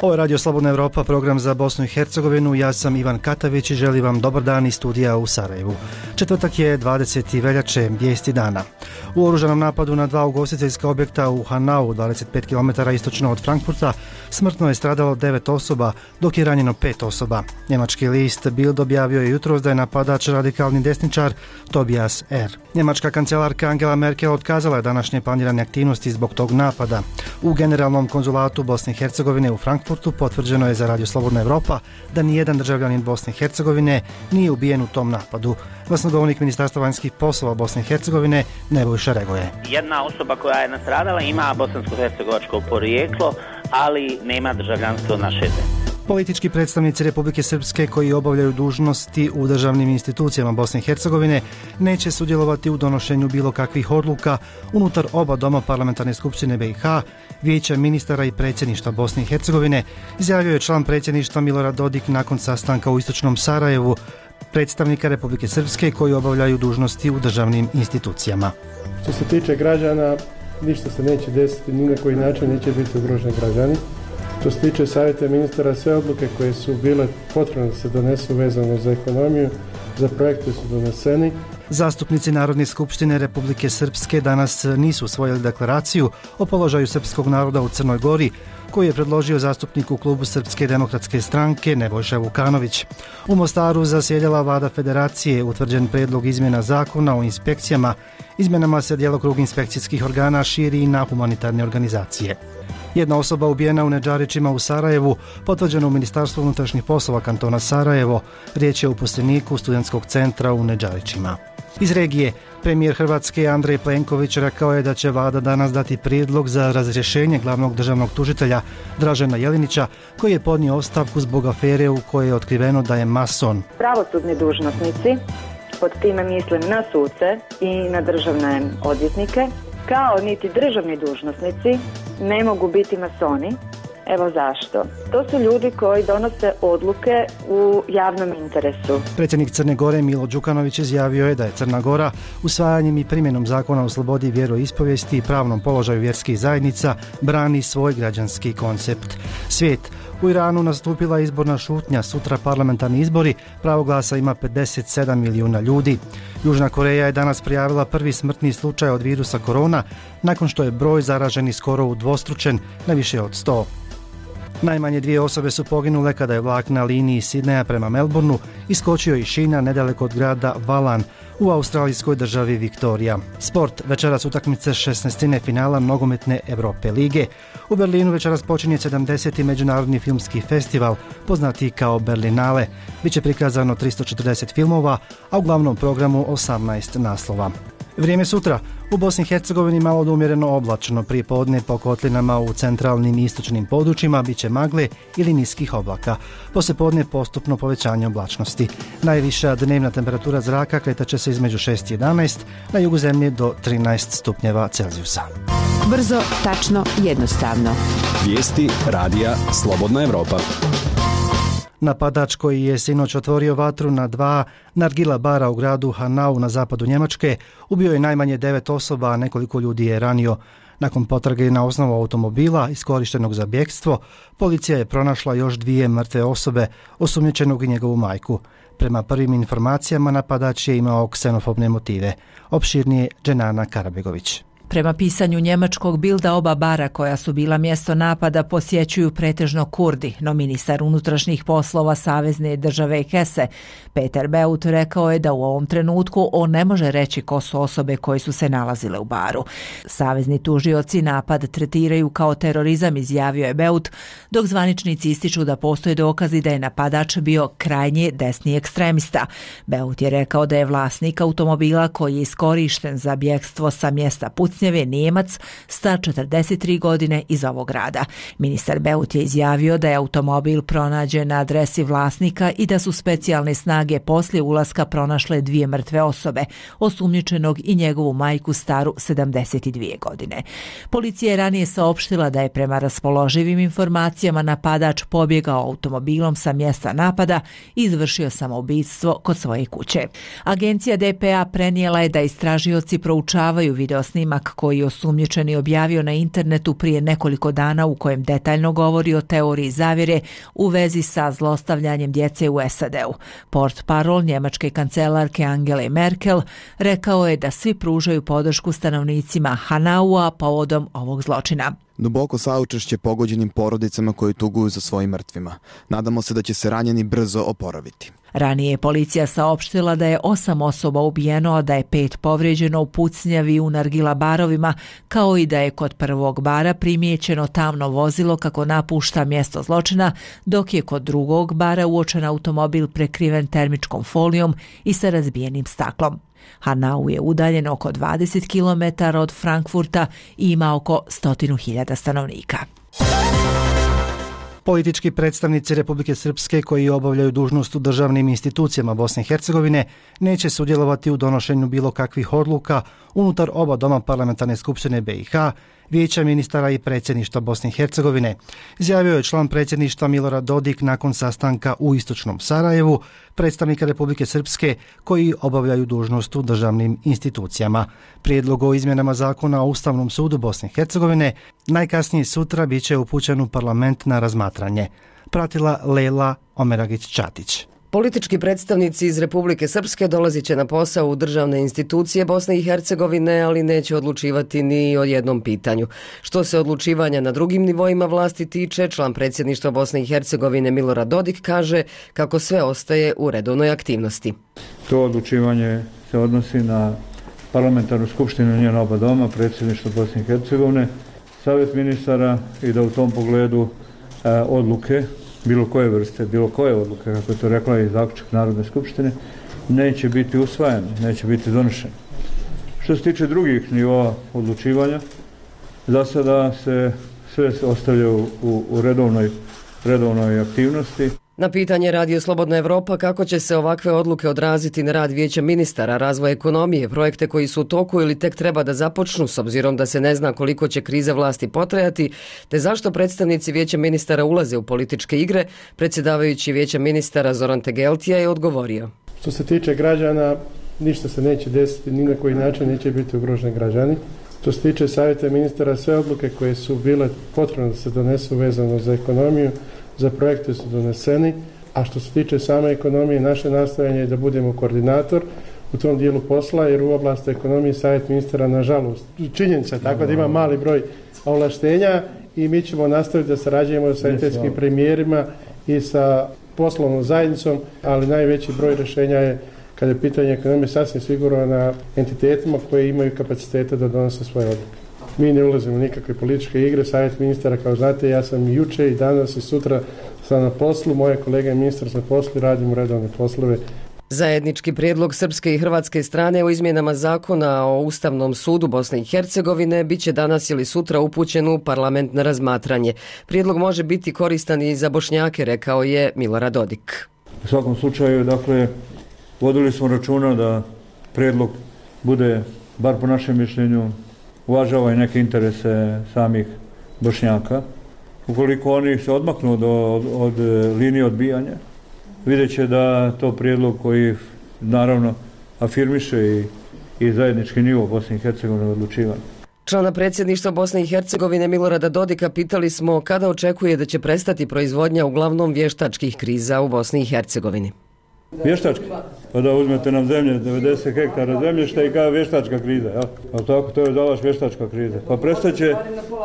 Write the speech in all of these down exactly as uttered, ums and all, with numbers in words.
Ovo je Radio Slobodna Evropa, program za Bosnu i Hercegovinu. Ja sam Ivan Katavić i želim vam dobar dan iz studija u Sarajevu. Četvrtak je dvadeseti veljače, vijesti dana. U oružanom napadu na dva ugostiteljska objekta u Hanau, dvadeset pet kilometara istočno od Frankfurta, smrtno je stradalo devet osoba, dok je ranjeno pet osoba. Njemački list Bild objavio je jutros da je napadač radikalni desničar Tobias R. Njemačka kancelarka Angela Merkel otkazala je današnje planirane aktivnosti zbog tog napada. U generalnom konzulatu Bosne i Hercegovine u Frankfurtu potvrđeno je za Radio Slobodna Evropa da nijedan državljanin Bosne i Hercegovine nije ubijen u tom napadu. Glasnogovornik Ministarstva vanjskih poslova Bosne i Hercegovine Nebojša Regoje. Jedna osoba koja je nastradala ima bosansko-hercegovačko porijeklo, ali nema državljanstvo naše zemlje. Politički predstavnici Republike Srpske koji obavljaju dužnosti u državnim institucijama Bosne i Hercegovine neće sudjelovati u donošenju bilo kakvih odluka unutar oba doma parlamentarne skupštine B i H, vijeća ministara i predsjedništva Bosne i Hercegovine, izjavio je član predsjedništva Milorad Dodik nakon sastanka u istočnom Sarajevu predstavnika Republike Srpske koji obavljaju dužnosti u državnim institucijama. Što se tiče građana, ništa se neće desiti, ni na koji način neće biti ugroženi građani. Što se tiče savjeta ministara, sve odluke koje su bile potrebne da se donesu vezano za ekonomiju, za projekte su doneseni. Zastupnici Narodne skupštine Republike Srpske danas nisu usvojili deklaraciju o položaju srpskog naroda u Crnoj Gori, koji je predložio zastupnik u klubu Srpske demokratske stranke Nebojša Vukanović. U Mostaru zasjedala vlada federacije, utvrđen predlog izmjena zakona o inspekcijama. Izmjenama se djelokrug inspekcijskih organa širi i na humanitarne organizacije. Jedna osoba ubijena u Nedžarićima u Sarajevu, potvrđeno u Ministarstvu unutrašnjih poslova kantona Sarajevo. Riječ je o uposleniku studentskog centra u Nedžarićima. Iz regije, premijer Hrvatske Andrej Plenković rekao je da će vlada danas dati prijedlog za razrješenje glavnog državnog tužitelja Dražena Jelinića, koji je podnio ostavku zbog afere u kojoj je otkriveno da je mason. Pravosudni dužnosnici, pod time mislim na suce i na državne odvjetnike, kao niti državni dužnosnici ne mogu biti masoni. Evo zašto. To su ljudi koji donose odluke u javnom interesu. Predsjednik Crne Gore Milo Đukanović izjavio je da je Crna Gora usvajanjem i primjenom zakona o slobodi vjeroispovijesti i pravnom položaju vjerskih zajednica brani svoj građanski koncept. Svijet. U Iranu nastupila izborna šutnja, sutra parlamentarni izbori, pravo glasa ima pedeset sedam milijuna ljudi. Južna Koreja je danas prijavila prvi smrtni slučaj od virusa korona, nakon što je broj zaraženih skoro udvostručen na više od sto. Najmanje dvije osobe su poginule kada je vlak na liniji Sidneja prema Melbourneu iskočio iz šina nedaleko od grada Valan u australijskoj državi Viktorija. Sport, večeras utakmice šesnaestine finala nogometne Europe lige. U Berlinu večeras počinje sedamdeseti međunarodni filmski festival, poznati kao Berlinale. Biće prikazano tristo četrdeset filmova, a u glavnom programu osamnaest naslova. Vrijeme sutra. U Bosni i Hercegovini malo do umjereno oblačno, prije podne po kotlinama u centralnim i istočnim područjima biće magle ili niskih oblaka. Poslije podne postupno povećanje oblačnosti. Najviša dnevna temperatura zraka kretat će se između šest i jedanaest, na jugu zemlje do trinaest stupnjeva Celzijusa. Brzo, tačno, jednostavno. Vijesti radija Slobodna Evropa. Napadač koji je sinoć otvorio vatru na dva nargila bara u gradu Hanau na zapadu Njemačke ubio je najmanje devet osoba, a nekoliko ljudi je ranio. Nakon potrage na osnovu automobila iskorištenog za bjegstvo, policija je pronašla još dvije mrtve osobe, osumnjičenog i njegovu majku. Prema prvim informacijama napadač je imao ksenofobne motive. Opširnije Dženana Karabegović. Prema pisanju njemačkog Bilda, oba bara koja su bila mjesto napada posjećuju pretežno Kurdi, no ministar unutrašnjih poslova savezne države Hesse Peter Beut rekao je da u ovom trenutku on ne može reći ko su osobe koje su se nalazile u baru. Savezni tužioci napad tretiraju kao terorizam, izjavio je Beut, dok zvaničnici ističu da postoje dokazi da je napadač bio krajnje desni ekstremista. Beut je rekao da je vlasnik automobila koji je iskorišten za bjegstvo sa mjesta pucnjave Nijemac, star četrdeset tri godine iz ovog grada. Ministar Beut je izjavio da je automobil pronađen na adresi vlasnika i da su specijalne snage poslije ulaska pronašle dvije mrtve osobe, osumnjičenog i njegovu majku staru sedamdeset dvije godine. Policija je ranije saopštila da je prema raspoloživim informacijama napadač pobjegao automobilom sa mjesta napada i izvršio samoubistvo kod svoje kuće. Agencija D P A prenijela je da istražioci proučavaju videosnimak snimak koji je osumnjičeni objavio na internetu prije nekoliko dana u kojem detaljno govori o teoriji zavjere u vezi sa zlostavljanjem djece u S A D-u. Portparol njemačke kancelarke Angele Merkel rekao je da svi pružaju podršku stanovnicima Hanaua povodom ovog zločina. Duboko saučešće pogođenim porodicama koji tuguju za svojim mrtvima. Nadamo se da će se ranjeni brzo oporaviti. Ranije je policija saopštila da je osam osoba ubijeno, a da je pet povrijeđeno u pucnjavi u nargila barovima, kao i da je kod prvog bara primijećeno tamno vozilo kako napušta mjesto zločina, dok je kod drugog bara uočen automobil prekriven termičkom folijom i sa razbijenim staklom. Hanau je udaljen oko dvadeset kilometara od Frankfurta i ima oko stotinu hiljada stanovnika. Politički predstavnici Republike Srpske koji obavljaju dužnost u državnim institucijama Bosne i Hercegovine neće sudjelovati u donošenju bilo kakvih odluka unutar oba doma parlamentarne skupštine B i H, Vijeća ministara i predsjedništva Bosne i Hercegovine, izjavio je član predsjedništva Milorad Dodik nakon sastanka u istočnom Sarajevu predstavnika Republike Srpske koji obavljaju dužnost u državnim institucijama. Prijedlog o izmjenama zakona o Ustavnom sudu Bosne i Hercegovine najkasnije sutra bit će upućen u parlament na razmatranje. Pratila Lejla Omeragić-Čatić. Politički predstavnici iz Republike Srpske dolazit će na posao u državne institucije Bosne i Hercegovine, ali neće odlučivati ni o jednom pitanju. Što se odlučivanja na drugim nivoima vlasti tiče, član predsjedništva Bosne i Hercegovine Milorad Dodik kaže kako sve ostaje u redovnoj aktivnosti. To odlučivanje se odnosi na parlamentarnu skupštinu njena oba doma, predsjedništvo Bosne i Hercegovine, savjet ministara i da u tom pogledu e, odluke bilo koje vrste, bilo koje odluke, kako je to rekla i zaključak Narodne skupštine, neće biti usvajan, neće biti donešen. Što se tiče drugih nivoa odlučivanja, za sada se sve ostavlja u, u redovnoj, redovnoj aktivnosti. Na pitanje Radio Slobodna Evropa kako će se ovakve odluke odraziti na rad Vijeća ministara, razvoj ekonomije, projekte koji su u toku ili tek treba da započnu s obzirom da se ne zna koliko će kriza vlasti potrajati, te zašto predstavnici Vijeća ministara ulaze u političke igre, predsjedavajući Vijeća ministara Zoran Tegeltija je odgovorio. Što se tiče građana, ništa se neće desiti, ni na koji način neće biti ugroženi građani. Što se tiče savjeta ministara, sve odluke koje su bile potrebne da se donesu vezano za ekonomiju, za projekte su doneseni, a što se tiče same ekonomije, naše nastojanje je da budemo koordinator u tom dijelu posla, jer u oblasti ekonomije savjet ministara, nažalost, činjenica tako da ima mali broj ovlaštenja i mi ćemo nastaviti da sarađujemo sa entitetskim premijerima i sa poslovnom zajednicom, ali najveći broj rješenja je, kada je pitanje ekonomije, sasvim sigurno na entitetima koji imaju kapacitete da donose svoje odluke. Mi ne ulazimo u nikakve političke igre, savjet ministara, kao znate, ja sam i juče i danas i sutra sam na poslu, moje kolege ministar na poslu i radimo redovne poslove. Zajednički prijedlog srpske i hrvatske strane o izmjenama zakona o Ustavnom sudu Bosne i Hercegovine bit će danas ili sutra upućen u parlament na razmatranje. Prijedlog može biti koristan i za Bošnjake, rekao je Milorad Dodik. U svakom slučaju, dakle, vodili smo računa da prijedlog bude, bar po našem mišljenju, uvažava i neke interese samih Bošnjaka. Ukoliko oni se odmaknu od, od, od linije odbijanja, vidjet će da to prijedlog koji naravno afirmiše i, i zajednički nivo Bosne i Hercegovine odlučivanja. Člana predsjedništva Bosne i Hercegovine Milorada Dodika pitali smo kada očekuje da će prestati proizvodnja uglavnom vještačkih kriza u Bosni i Hercegovini. Vještački? Pa da uzmete nam zemlje, devedeset hektara zemljišta i kao vještačka kriza, ja? Ali tako, to je za vas vještačka kriza. Pa prestaće,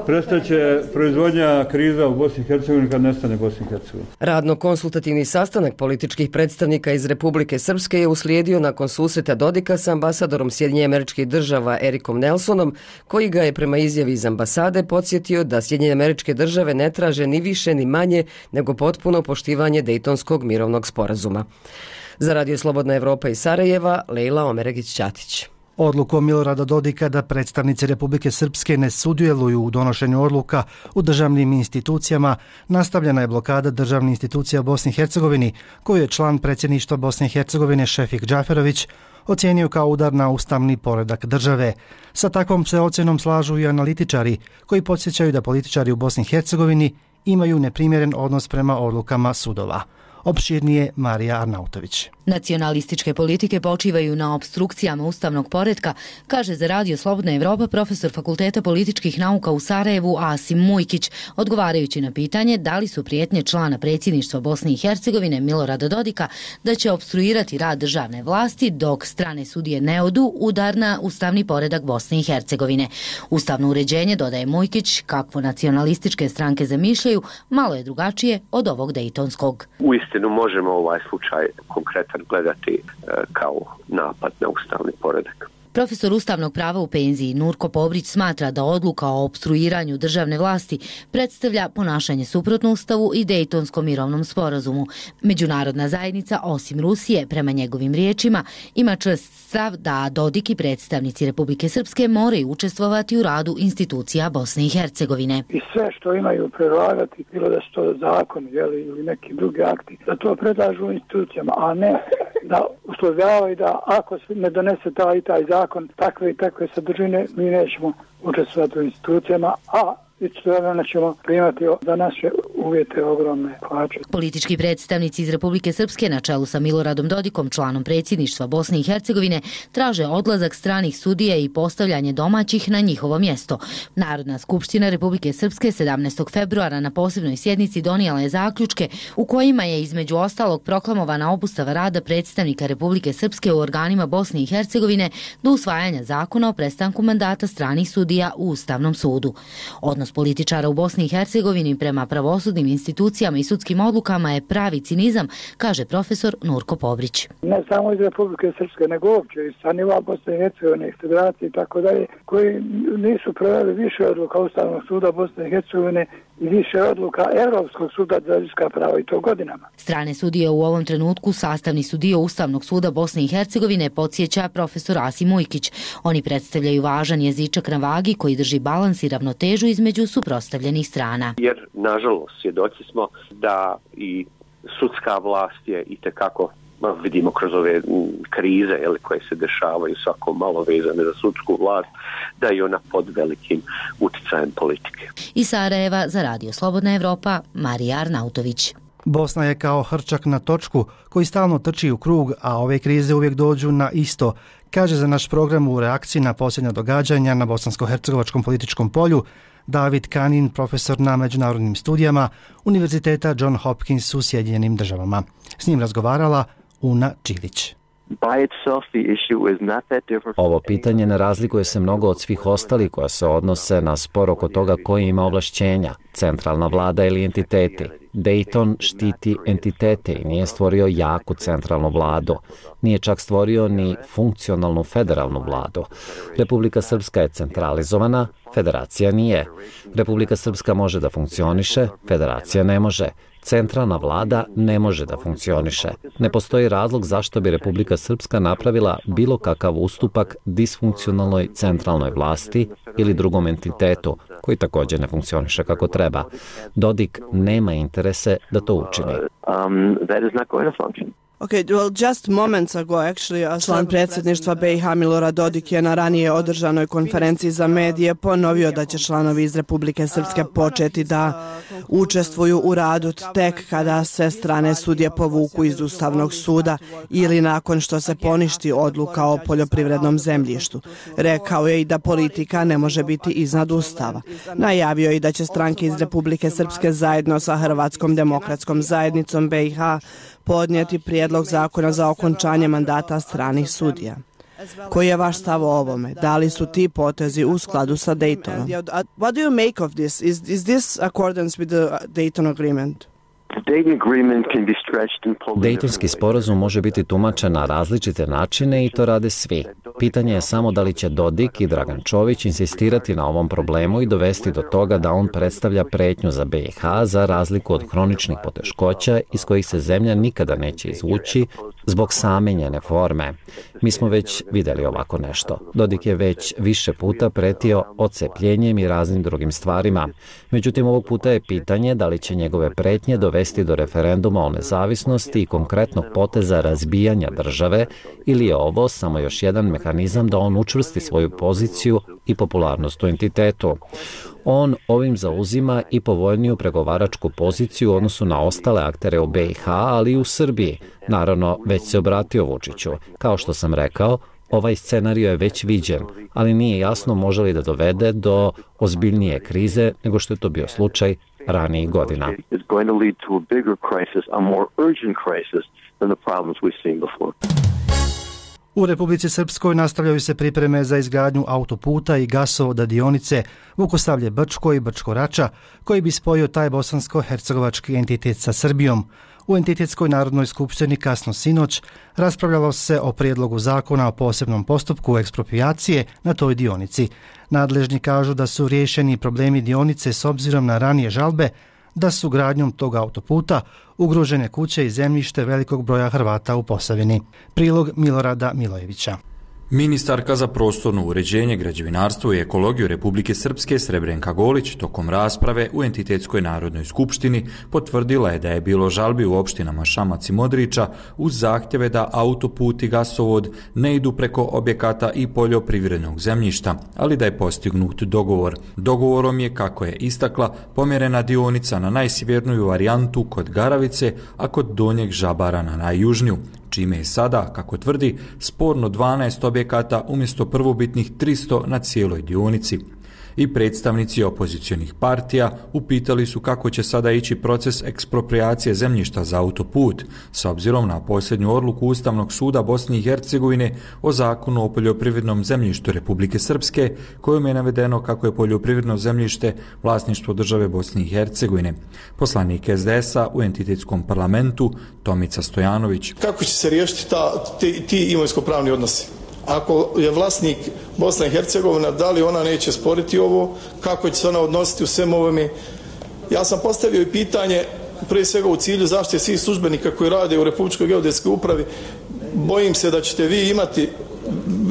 prestaće proizvodnja kriza u Bosni i Hercegovini kad nestane Bosni i Hercegovini. Radno-konsultativni sastanak političkih predstavnika iz Republike Srpske je uslijedio nakon susreta Dodika sa ambasadorom Sjedinjenih Američkih Država Erikom Nelsonom, koji ga je prema izjavi iz ambasade podsjetio da Sjedinjene Američke Države ne traže ni više ni manje nego potpuno poštivanje Dejtonskog mirovnog sporazuma. Za Radio Slobodna Evropa iz Sarajeva, Lejla Omeragić-Čatić. Odlukom Milorada Dodika da predstavnici Republike Srpske ne sudjeluju u donošenju odluka u državnim institucijama, nastavljena je blokada državnih institucija u Bosni i Hercegovini, koju je član predsjedništva Bosne i Hercegovine Šefik Džaferović ocijenio kao udar na ustavni poredak države. Sa takvom se ocjenom slažu i analitičari, koji podsjećaju da političari u Bosni i Hercegovini imaju neprimjeren odnos prema odlukama sudova. Opširnije Marija Arnautović. Nacionalističke politike počivaju na opstrukcijama ustavnog poretka, kaže za Radio Slobodna Evropa profesor Fakulteta političkih nauka u Sarajevu Asim Mujkić, odgovarajući na pitanje da li su prijetnje člana predsjedništva Bosne i Hercegovine Milorada Dodika da će opstruirati rad državne vlasti dok strane sudije ne odu udar na ustavni poredak Bosne i Hercegovine. Ustavno uređenje, dodaje Mujkić, kakvo nacionalističke stranke zamišljaju, malo je drugačije od ovog dejtonskog. Uistinu možemo ovaj slučaj konkretan gledati kao napad na ustavni poredak. Profesor ustavnog prava u penziji Nurko Pobrić smatra da odluka o opstruiranju državne vlasti predstavlja ponašanje suprotno ustavu i Dejtonskom mirovnom sporazumu. Međunarodna zajednica, osim Rusije, prema njegovim riječima, ima čvrst stav da Dodik i predstavnici Republike Srpske moraju učestvovati u radu institucija Bosne i Hercegovine. I sve što imaju predlagati, bilo da su to zakon ili neki drugi akti, da to predlažu institucijama, a ne da uslovljavaju da ako se ne donese taj i taj zakon, takve i takve sadržine, mi nećemo učestvovati u institucijama, a istovremeno ćemo primati za naše uvjete ogromne plaće. Politički predstavnici iz Republike Srpske na čelu sa Miloradom Dodikom, članom predsjedništva Bosne i Hercegovine, traže odlazak stranih sudija i postavljanje domaćih na njihovo mjesto. Narodna skupština Republike Srpske sedamnaestog februara na posebnoj sjednici donijela je zaključke u kojima je između ostalog proklamovana obustava rada predstavnika Republike Srpske u organima Bosne i Hercegovine do usvajanja zakona o prestanku mandata stranih sudija u Ustavnom sudu. Odnos političara u Bosni i Hercegovini prema pravosudnim institucijama i sudskim odlukama je pravi cinizam, kaže profesor Nurko Pobrić. Ne samo iz Republike Srpske, nego uopće iz sa nivoa Bosne i Hercegovine, federacije i tako dalje, koji nisu proveli više odluka Ustavnog suda Bosne i Hercegovine i više odluka Europskog suda za ljudska prava i to godinama. Strane sudije u ovom trenutku sastavni su dio Ustavnog suda Bosne i Hercegovine, podsjeća profesor Asim Mujkić. Oni predstavljaju važan jezičak na vagi koji drži balans i ravnotežu između suprotstavljenih strana. Jer, nažalost, svjedoci smo da i sudska vlast je itekako, vidimo kroz ove krize jeli, koje se dešavaju svako malo vezane za sudsku vlast, da je ona pod velikim uticajem politike. Iz Sarajeva za Radio Slobodna Evropa, Marija Arnautović. Bosna je kao hrčak na točku koji stalno trči u krug, a ove krize uvijek dođu na isto, kaže za naš program u reakciji na posljednja događanja na bosansko-hercegovačkom političkom polju David Kanin, profesor na međunarodnim studijama Univerziteta John Hopkins u Sjedinjenim Državama. S njim razgovarala Una Čilić. Ovo pitanje ne razlikuje se mnogo od svih ostalih koja se odnose na spor oko toga koji ima ovlašćenja, centralna vlada ili entiteti. Dayton štiti entitete i nije stvorio jaku centralnu vladu. Nije čak stvorio ni funkcionalnu federalnu vladu. Republika Srpska je centralizovana, federacija nije. Republika Srpska može da funkcioniše, federacija ne može. Centralna vlada ne može da funkcioniše. Ne postoji razlog zašto bi Republika Srpska napravila bilo kakav ustupak disfunkcionalnoj centralnoj vlasti ili drugom entitetu, koji također ne funkcioniše kako treba. Dodik nema interese da to učini. Okay, well, just moments ago, actually, član predsjedništva B i H Milorad Dodik je na ranije održanoj konferenciji za medije ponovio da će članovi iz Republike Srpske početi da učestvuju u radu tek kada se strane sudije povuku iz Ustavnog suda ili nakon što se poništi odluka o poljoprivrednom zemljištu. Rekao je i da politika ne može biti iznad Ustava. Najavio je i da će stranke iz Republike Srpske zajedno sa Hrvatskom demokratskom zajednicom B i H podnijeti prijedlog zakona za okončanje mandata stranih sudija. Koji je vaš stav o ovome? Da li su ti potezi u skladu sa Daytonom? What do you make of this? Is, is this accordance with the Dayton agreement? Dejtonski sporazum može biti tumačen na različite načine i to rade svi. Pitanje je samo da li će Dodik i Dragan Čović insistirati na ovom problemu i dovesti do toga da on predstavlja pretnju za B i H za razliku od hroničnih poteškoća iz kojih se zemlja nikada neće izvući zbog same njene forme. Mi smo već vidjeli ovako nešto. Dodik je već više puta pretio odcepljenjem i raznim drugim stvarima. Međutim, ovog puta je pitanje da li će njegove pretnje dovesti do referenduma o nezavisnosti i konkretnog poteza razbijanja države ili je ovo samo još jedan mehanizam da on učvrsti svoju poziciju i popularnost u entitetu. On ovim zauzima i povoljniju pregovaračku poziciju u odnosu na ostale aktere u B i H, ali i u Srbiji. Naravno, već se obratio Vučiću. Kao što sam rekao, ovaj scenario je već viđen, ali nije jasno može li da dovede do ozbiljnije krize nego što je to bio slučaj ranijih godina. U Republici Srpskoj nastavljaju se pripreme za izgradnju autoputa i gasovoda dionice Vukosavlje-Brčko i Brčko-Rača, koji bi spojio taj bosansko-hercegovački entitet sa Srbijom. U Entitetskoj narodnoj skupštini kasno sinoć raspravljalo se o prijedlogu zakona o posebnom postupku eksproprijacije na toj dionici. Nadležni kažu da su riješeni problemi dionice s obzirom na ranije žalbe, da su gradnjom tog autoputa ugrožene kuće i zemljište velikog broja Hrvata u Posavini. Prilog Milorada Milojevića. Ministarka za prostorno uređenje, građevinarstvo i ekologiju Republike Srpske Srebrenka Golić tokom rasprave u Entitetskoj narodnoj skupštini potvrdila je da je bilo žalbi u opštinama Šamac i Modriča uz zahtjeve da autoput i gasovod ne idu preko objekata i poljoprivrednog zemljišta, ali da je postignut dogovor. Dogovorom je, kako je istakla, pomjerena dionica na najsjeverniju varijantu kod Garavice, a kod Donjeg Žabara na najjužniju, čime je sada, kako tvrdi, sporno dvanaest objekata umjesto prvobitnih tristo na cijeloj dionici. I predstavnici opozicionih partija upitali su kako će sada ići proces eksproprijacije zemljišta za autoput, s obzirom na posljednju odluku Ustavnog suda Bosne i Hercegovine o zakonu o poljoprivrednom zemljištu Republike Srpske, kojom je navedeno kako je poljoprivredno zemljište vlasništvo države Bosne i Hercegovine. Poslanik S D S-a u entitetskom parlamentu Tomica Stojanović. Kako će se riješiti ta, ti, ti imovinsko-pravni odnosi? Ako je vlasnik Bosna i Hercegovina, da li ona neće sporiti ovo, kako će se ona odnositi u svem ovome? Ja sam postavio i pitanje, prije svega u cilju zaštite svih službenika koji rade u Republičkoj geodetskoj upravi. Bojim se da ćete vi imati,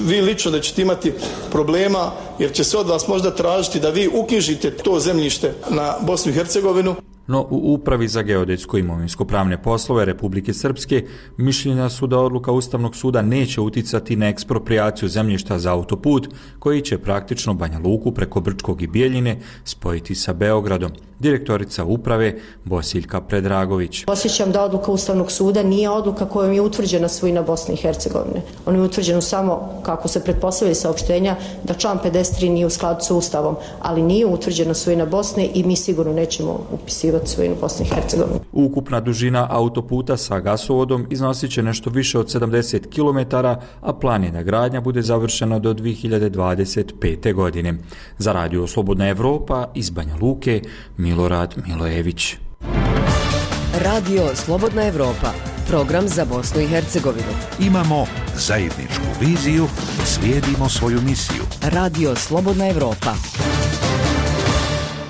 vi lično da ćete imati problema, jer će se od vas možda tražiti da vi uknjižite to zemljište na Bosnu i Hercegovinu. No u Upravi za geodetsko imovinsko-pravne poslove Republike Srpske mišljenja su da odluka Ustavnog suda neće uticati na eksproprijaciju zemljišta za autoput, koji će praktično Banja Luku preko Brčkog i Bijeljine spojiti sa Beogradom. Direktorica uprave Bosiljka Predragović. Osjećam da odluka Ustavnog suda nije odluka kojom je utvrđena svojina Bosne i Hercegovine. Ona je utvrđena samo, kako se pretpostavlja saopštenja, da član pedeset tri nije u skladu sa Ustavom, ali nije utvrđena svojina Bosne i mi sigurno nećemo upisivati svojinu Bosne i Hercegovine. Ukupna dužina autoputa sa gasovodom iznosit će nešto više od sedamdeset kilometara, a plan je da gradnja bude završena do dvije hiljade dvadeset pete. godine. Za Radio Slobodna Evropa iz Banja Luke, Milorad Milojević. Radio Slobodna Evropa, program za Bosnu i Hercegovinu. Imamo zajedničku viziju, slijedimo svoju misiju. Radio Slobodna Evropa.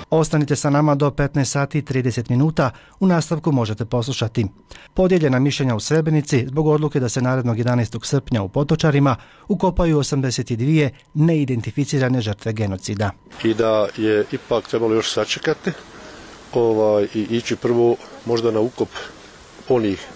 Ostanite sa nama do petnaest sati i trideset minuta. U nastavku možete poslušati podijeljena mišljenja u Srebrenici zbog odluke da se narednog jedanaestog srpnja u Potočarima ukopaju osamdeset dvije neidentificirane žrtve genocida. I da je ipak trebalo još sačekati ovaj, i ići prvo možda na ukop onih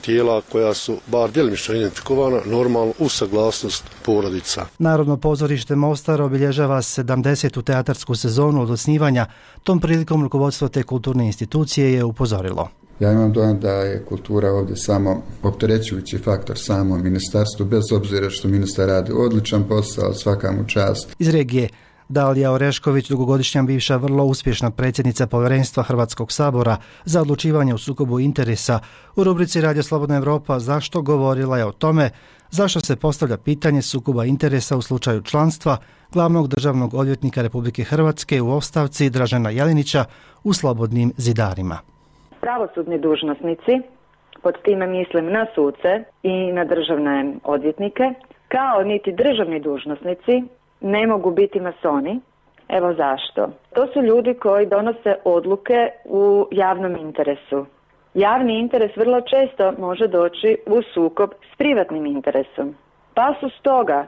tijela koja su bar djelimično identifikovana, normalno uz saglasnost porodica. Narodno pozorište Mostar obilježava sedamdesetu teatarsku sezonu od osnivanja. Tom prilikom rukovodstvo te kulturne institucije je upozorilo. Ja imam dojam da je kultura ovdje samo opterećujući faktor samo ministarstvu, bez obzira što ministar radi odličan posao, svaka mu čast. Iz regije Dalija Orešković, dugogodišnja bivša vrlo uspješna predsjednica Povjerenstva Hrvatskog sabora za odlučivanje u sukobu interesa, u rubrici Radio Slobodna Evropa Zašto govorila je o tome zašto se postavlja pitanje sukoba interesa u slučaju članstva glavnog državnog odvjetnika Republike Hrvatske u ostavci Dražena Jelinića u Slobodnim zidarima. Pravosudni dužnosnici, pod time mislim na suce i na državne odvjetnike, kao niti državni dužnosnici ne mogu biti masoni. Evo zašto. To su ljudi koji donose odluke u javnom interesu. Javni interes vrlo često može doći u sukob s privatnim interesom. Pa su stoga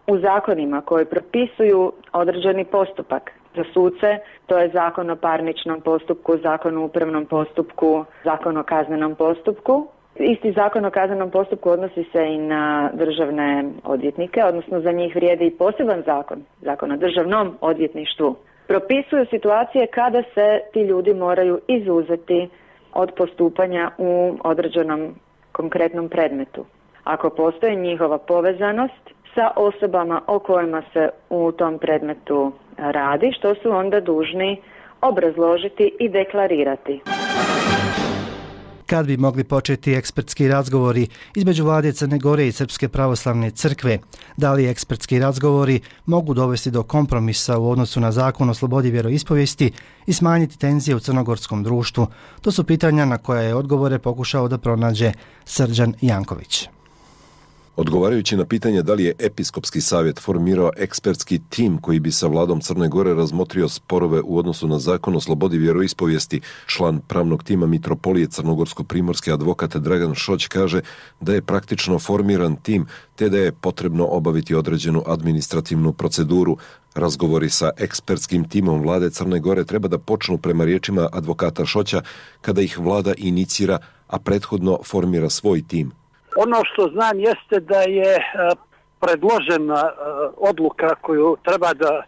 u zakonima koji propisuju određeni postupak za suce, to je zakon o parničnom postupku, zakon o upravnom postupku, zakon o kaznenom postupku. Isti zakon o kaznenom postupku odnosi se i na državne odvjetnike, odnosno za njih vrijedi i poseban zakon, zakon o državnom odvjetništvu. propisuju situacije kada se ti ljudi moraju izuzeti od postupanja u određenom konkretnom predmetu. Ako postoji njihova povezanost sa osobama o kojima se u tom predmetu radi, što su onda dužni obrazložiti i deklarirati. Kad bi mogli početi ekspertski razgovori između vlade Crne Gore i Srpske pravoslavne crkve? Da li ekspertski razgovori mogu dovesti do kompromisa u odnosu na zakon o slobodi vjeroispovijesti i smanjiti tenzije u crnogorskom društvu? To su pitanja na koja je odgovore pokušao da pronađe Srđan Janković. Odgovarajući na pitanje da li je Episkopski savjet formirao ekspertski tim koji bi sa vladom Crne Gore razmotrio sporove u odnosu na zakon o slobodi vjeroispovijesti, član pravnog tima Mitropolije Crnogorsko-primorske advokat Dragan Šoć kaže da je praktično formiran tim te da je potrebno obaviti određenu administrativnu proceduru. Razgovori sa ekspertskim timom vlade Crne Gore treba da počnu prema riječima advokata Šoća kada ih vlada inicira, a prethodno formira svoj tim. Ono što znam jeste da je predložena odluka koju treba da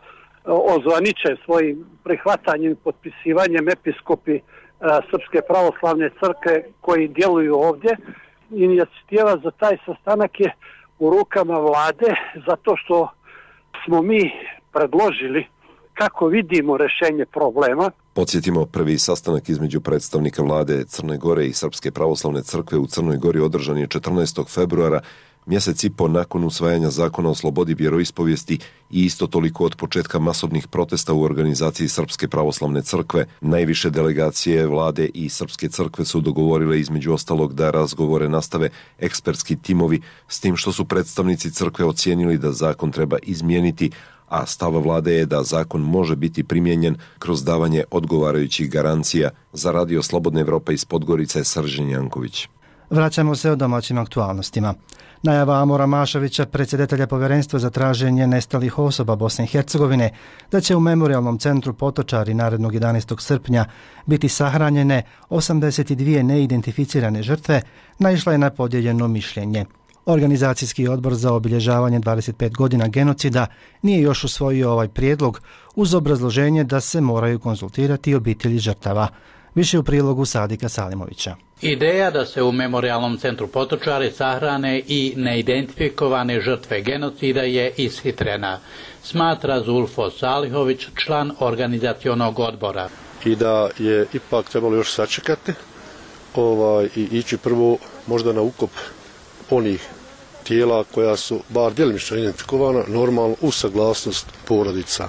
ozvaniče svojim prihvatanjem i potpisivanjem episkopi Srpske pravoslavne crkve koji djeluju ovdje. Inicijativa za taj sastanak je u rukama vlade zato što smo mi predložili kako vidimo rješenje problema. Podsjetimo, prvi sastanak između predstavnika vlade Crne Gore i Srpske pravoslavne crkve u Crnoj Gori održan je četrnaestog februara, mjesec i po nakon usvajanja zakona o slobodi vjeroispovijesti i isto toliko od početka masovnih protesta u organizaciji Srpske pravoslavne crkve. Najviše delegacije vlade i Srpske crkve su dogovorile između ostalog da razgovore nastave ekspertski timovi, s tim što su predstavnici crkve ocijenili da zakon treba izmijeniti, a stav vlade je da zakon može biti primijenjen kroz davanje odgovarajućih garancija. Za Radio Slobodne Evrope iz Podgorice, Srđan Janković. Vraćamo se o domaćim aktualnostima. Najava Amora Mašovića, predsjedatelja Povjerenstva za traženje nestalih osoba Bosne i Hercegovine, da će u Memorijalnom centru Potočari narednog jedanaestog srpnja biti sahranjene osamdeset dvije neidentificirane žrtve, naišla je na podijeljeno mišljenje. Organizacijski odbor za obilježavanje dvadeset pet godina genocida nije još usvojio ovaj prijedlog uz obrazloženje da se moraju konzultirati obitelji žrtava. Više u prilogu Sadika Salimovića. Ideja da se u Memorijalnom centru Potočari sahrane i neidentifikovane žrtve genocida je ishitrena, smatra Zulfo Salihović, član organizacionog odbora. I da je ipak trebalo još sačekati ovaj, i ići prvo možda na ukop onih tijela koja su bar djelimično identifikovana, normalno uz saglasnost porodica.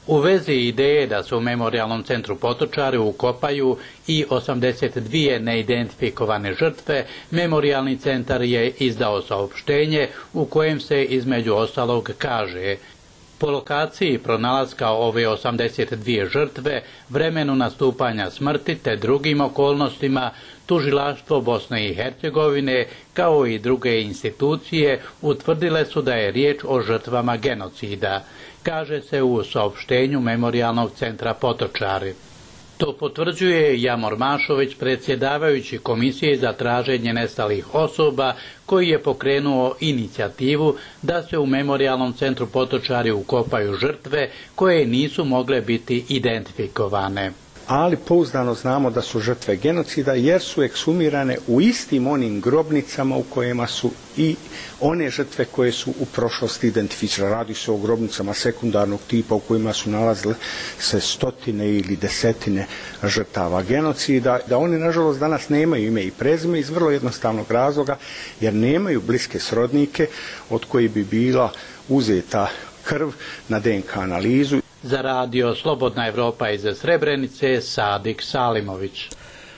U vezi ideje da se u Memorijalnom centru Potočari ukopaju i osamdeset dvije neidentifikovane žrtve, Memorijalni centar je izdao saopštenje u kojem se između ostalog kaže: po lokaciji pronalaska ove osamdeset dvije žrtve, vremenu nastupanja smrti te drugim okolnostima, Tužilaštvo Bosne i Hercegovine kao i druge institucije utvrdile su da je riječ o žrtvama genocida, kaže se u saopštenju Memorijalnog centra Potočari. To potvrđuje Jamor Mašović, predsjedavajući Komisije za traženje nestalih osoba, koji je pokrenuo inicijativu da se u Memorijalnom centru Potočari ukopaju žrtve koje nisu mogle biti identifikovane. Ali pouzdano znamo da su žrtve genocida jer su ekshumirane u istim onim grobnicama u kojima su i one žrtve koje su u prošlosti identificirane. Radi se o grobnicama sekundarnog tipa u kojima su nalazile se stotine ili desetine žrtava genocida. Da oni nažalost danas nemaju ime i prezime iz vrlo jednostavnog razloga jer nemaju bliske srodnike od koji bi bila uzeta krv na D N K analizu. Za Radio Slobodna Evropa iz Srebrenice, Sadik Salimović.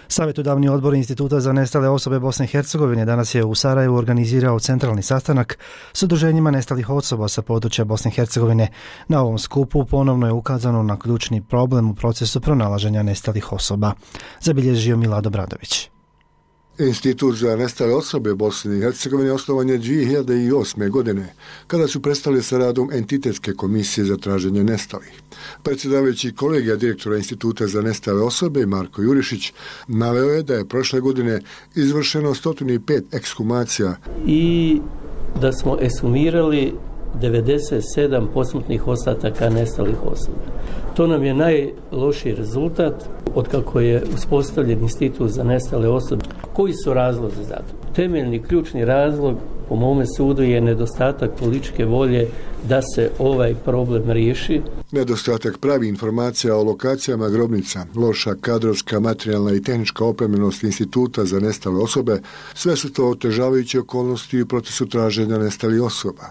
Savjetodavni odbor Instituta za nestale osobe Bosne i Hercegovine danas je u Sarajevu organizirao centralni sastanak s udruženjima nestalih osoba sa područja Bosne i Hercegovine. Na ovom skupu ponovno je ukazano na ključni problem u procesu pronalaženja nestalih osoba, zabilježio Milado Bradović. Institut za nestale osobe Bosne i Hercegovine osnovan je dvije hiljade osme. godine, kada su prestali sa radom Entitetske komisije za traženje nestalih. Predsjedavajući kolegija direktora Instituta za nestale osobe Marko Jurišić naveo je da je prošle godine izvršeno sto pet ekshumacija i da smo ekshumirali devedeset sedam posmrtnih ostataka nestalih osoba. To nam je najlošiji rezultat od kako je uspostavljen institut za nestale osobe. Koji su razlozi za to? Temeljni, ključni razlog po mome sudu je nedostatak političke volje da se ovaj problem riješi. Nedostatak pravi informacija o lokacijama grobnica, loša kadrovska, materijalna i tehnička opremljenost instituta za nestale osobe, sve su to otežavajuće okolnosti u procesu traženja nestalih osoba.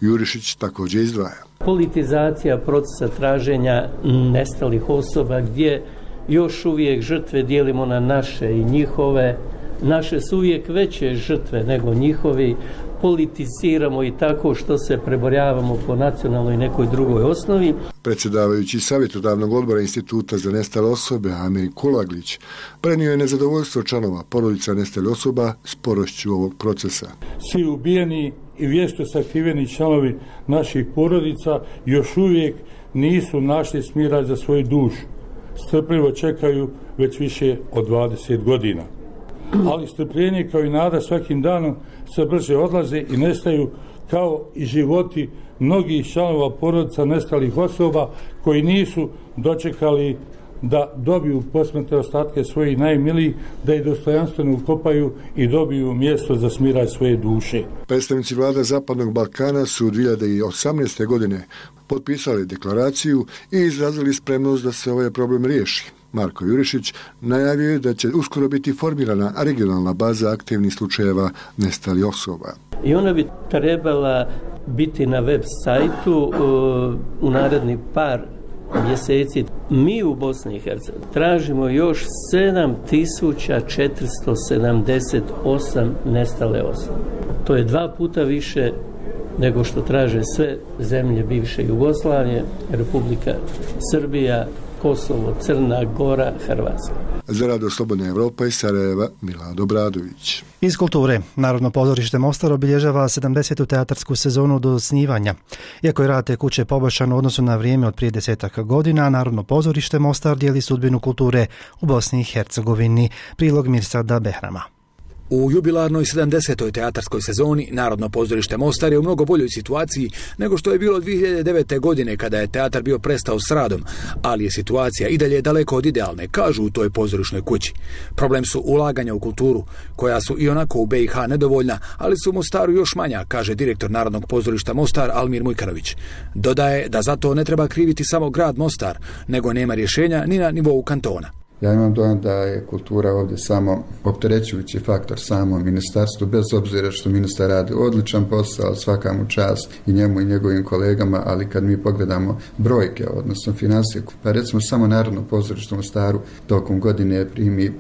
Jurišić također izdvaja. Politizacija procesa traženja nestalih osoba gdje još uvijek žrtve dijelimo na naše i njihove. Naše su uvijek veće žrtve nego njihovi. Politiziramo i tako što se preborjavamo po nacionalnoj i nekoj drugoj osnovi. Predsjedavajući savjetodavnog odbora Instituta za nestale osobe Amir Kulaglić prenio je nezadovoljstvo članova porodica nestalih osoba sporošću ovog procesa. Svi ubijeni i vješto sakriveni članovi naših porodica još uvijek nisu našli smira za svoju dušu. Strpljivo čekaju već više od dvadeset godina. Ali strpljenje kao i nada svakim danom sve brže odlaze i nestaju, kao i životi mnogih članova porodica nestalih osoba koji nisu dočekali da dobiju posmrtne ostatke svojih najmilijih, da ih dostojanstveno ukopaju i dobiju mjesto za smiraj svoje duše. Predstavnici vlada Zapadnog Balkana su dvije hiljade osamnaeste. godine potpisali deklaraciju i izrazili spremnost da se ovaj problem riješi. Marko Jurišić najavio je da će uskoro biti formirana regionalna baza aktivnih slučajeva nestalih osoba. I ona bi trebala biti na web sajtu u naredni par mjeseci. Mi u Bosni i Hercegovini tražimo još sedam tisuća četiristo sedamdeset osam nestale osobe. To je dva puta više nego što traže sve zemlje bivše Jugoslavije, Republika Srbija, Kosovo, Crna Gora, Hrvatska. Za Radio Slobodna Evropa iz Sarajeva, Milad Obradović. Iz kulture, Narodno pozorište Mostar obilježava sedamdesetu teatarsku sezonu do osnivanja. Iako je rad te kuće poboljšan u odnosu na vrijeme od prije desetak godina, Narodno pozorište Mostar dijeli sudbinu kulture u Bosni i Hercegovini. Prilog Mirsada Behrama. U jubilarnoj sedamdesetoj teatarskoj sezoni Narodno pozorište Mostar je u mnogo boljoj situaciji nego što je bilo dvije hiljade devete. godine kada je teatar bio prestao s radom, ali je situacija i dalje daleko od idealne, kažu u toj pozorišnoj kući. Problem su ulaganja u kulturu, koja su i onako u be i ha nedovoljna, ali su u Mostaru još manja, kaže direktor Narodnog pozorišta Mostar Almir Mujkanović. Dodaje da zato ne treba kriviti samo grad Mostar, nego nema rješenja ni na nivou kantona. Ja imam dojam da je kultura ovdje samo opterećujući faktor samo ministarstvu, bez obzira što ministar radi odličan posao, svaka mu čast i njemu i njegovim kolegama, ali kad mi pogledamo brojke, odnosno financije, pa recimo samo Narodno pozorište u Mostaru tokom godine primi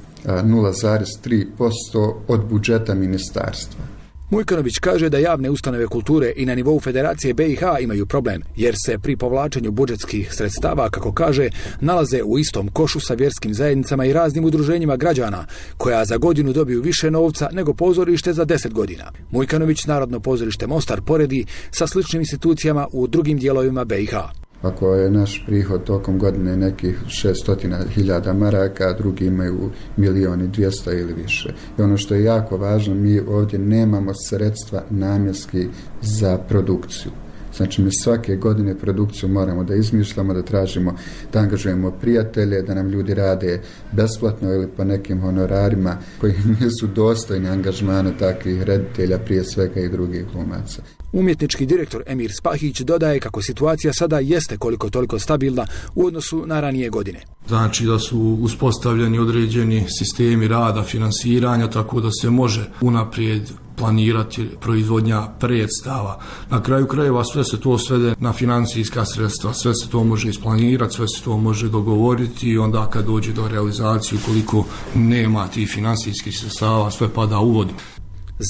nula zarez tri posto od budžeta ministarstva. Mujkanović kaže da javne ustanove kulture i na nivou Federacije be i ha imaju problem, jer se pri povlačenju budžetskih sredstava, kako kaže, nalaze u istom košu sa vjerskim zajednicama i raznim udruženjima građana, koja za godinu dobiju više novca nego pozorište za deset godina. Mujkanović Narodno pozorište Mostar poredi sa sličnim institucijama u drugim dijelovima be i ha. Ako je naš prihod tokom godine nekih šesto hiljada maraka, drugi imaju milijon i dvjesto ili više. I ono što je jako važno, mi ovdje nemamo sredstva namjenski za produkciju. Znači mi svake godine produkciju moramo da izmišljamo, da tražimo, da angažujemo prijatelje, da nam ljudi rade besplatno ili po nekim honorarima koji nisu dostojni angažmana takvih reditelja, prije svega i drugih glumaca. Umjetnički direktor Emir Spahić dodaje kako situacija sada jeste koliko toliko stabilna u odnosu na ranije godine. Znači da su uspostavljeni određeni sistemi rada, finansiranja, tako da se može unaprijed planirati proizvodnja predstava. Na kraju krajeva sve se to svede na financijska sredstva, sve se to može isplanirati, sve se to može dogovoriti i onda kad dođe do realizacije, ukoliko nema tih financijskih sredstava, sve pada u vodu.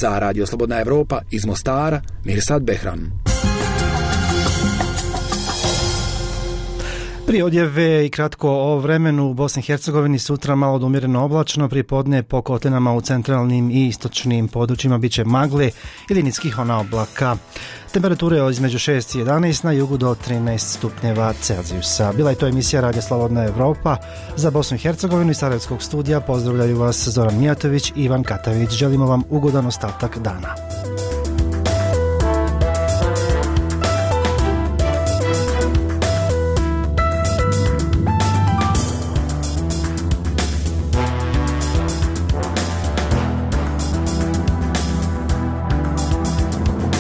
Za Radio Slobodna Evropa iz Mostara, Mirsad Behram. Prije odjave i kratko o vremenu u Bosni i Hercegovini, sutra malo do umjereno oblačno, pripodne po kotlinama u centralnim i istočnim područjima biće magle ili niskih ona oblaka. Temperature između šest i jedanaest, na jugu do trinaest stupnjeva Celzijusa. Bila je to emisija Radio Slobodna Evropa. Za Bosnu i Hercegovinu iz Sarajevskog studija pozdravljaju vas Zoran Mijatović i Ivan Katavić. Želimo vam ugodan ostatak dana.